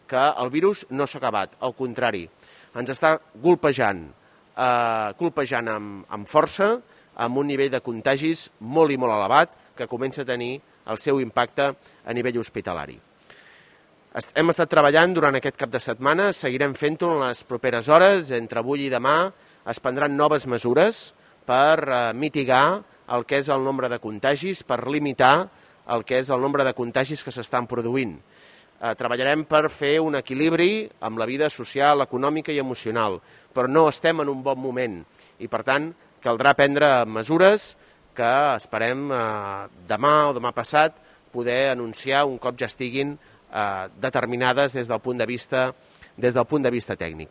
que el virus no s'ha acabat, al contrari, ens està colpejant amb força, amb un nivell de contagis molt i molt elevat, que comença a tenir el seu impacte a nivell hospitalari. Hem estat treballant durant aquest cap de setmana, seguirem fent-ho en les properes hores, entre avui i demà es prendran noves mesures per mitigar el que és el nombre de contagis, per limitar el que és el nombre de contagis que s'estan produint. Treballarem per fer un equilibri amb la vida social, econòmica i emocional, però no estem en un bon moment i, per tant, caldrà prendre mesures que esperem demà o demà passat poder anunciar un cop ja estiguin determinades des del punt de vista tècnic.